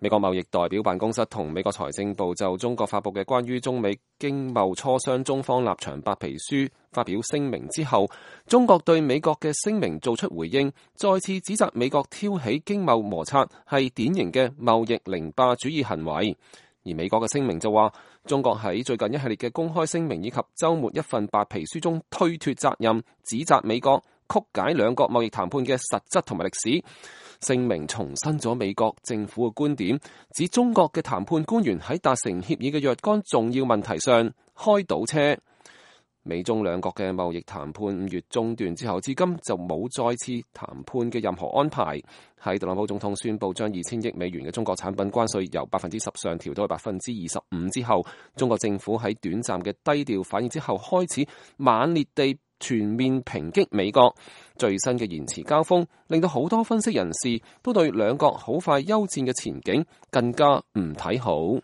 美國貿易代表辦公室同美國財政部就中國發佈嘅關於中美經貿磋商中方立場白皮書發表聲明之後，中國對美國嘅聲明做出回應，再次指責美國挑起經貿摩擦係典型嘅貿易凌霸主義行為。而美國嘅聲明就話，中國喺最近一系列嘅公開聲明以及週末一份白皮書中推脫責任，指責美國曲解兩國貿易談判嘅實質同埋歷史。聲明重申咗美國政府嘅觀點，指中國嘅談判官員喺達成協議嘅若干重要問題上開倒車。美中兩國嘅貿易談判5月中斷之後，至今就冇再次談判嘅任何安排。喺特朗普總統宣布將2000億美元嘅中國產品關稅由10%上調到25%之後，中國政府喺短暫嘅低調反應之後，開始猛烈地全面抨擊美國。最新嘅言辭交鋒，令到好多分析人士都對兩國好快休戰嘅前景更加唔睇好。